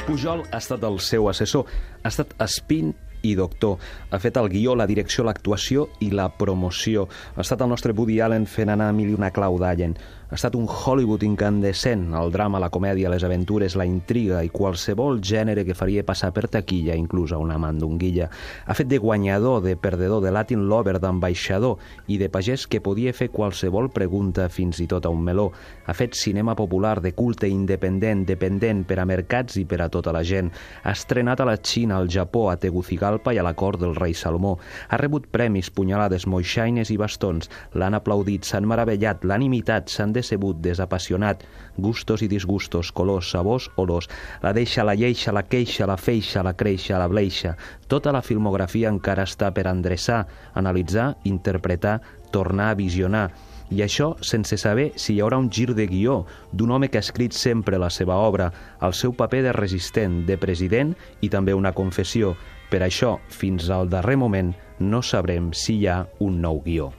Pujol ha estat el seu assessor, ha estat espín i doctor. Ha fet el guió, la direcció, l'actuació i la promoció. Ha estat el nostre Woody Allen fent anar mil i una clau d'Allen. Ha estat un Hollywood incandescent, el drama, la comèdia, les aventures, la intriga i qualsevol gènere que faria passar per taquilla, inclús a una mandonguilla. Ha fet de guanyador, de perdedor, de Latin lover, d'ambaixador i de pagès que podia fer qualsevol pregunta, fins i tot a un meló. Ha fet cinema popular de culte, independent, dependent per a mercats i per a tota la gent. Ha estrenat a la Xina, al Japó, a Tegucigalpa i a la cort del rei Salomó. Ha rebut premis, punyalades, moixaines i bastons. L'han aplaudit, s'han meravellat, l'han imitat, s'han decebut, desapassionat, gustos i disgustos, colors, sabors, olors. La deixa, la lleixa, la queixa, la feixa, la creixa, la bleixa. Tota la filmografia encara està per endreçar, analitzar, interpretar, tornar a visionar. I això sense saber si hi haurà un gir de guió d'un home que ha escrit sempre la seva obra, el seu paper de resistent, de president i també una confessió. Per això, fins al darrer moment, no sabrem si hi ha un nou guió.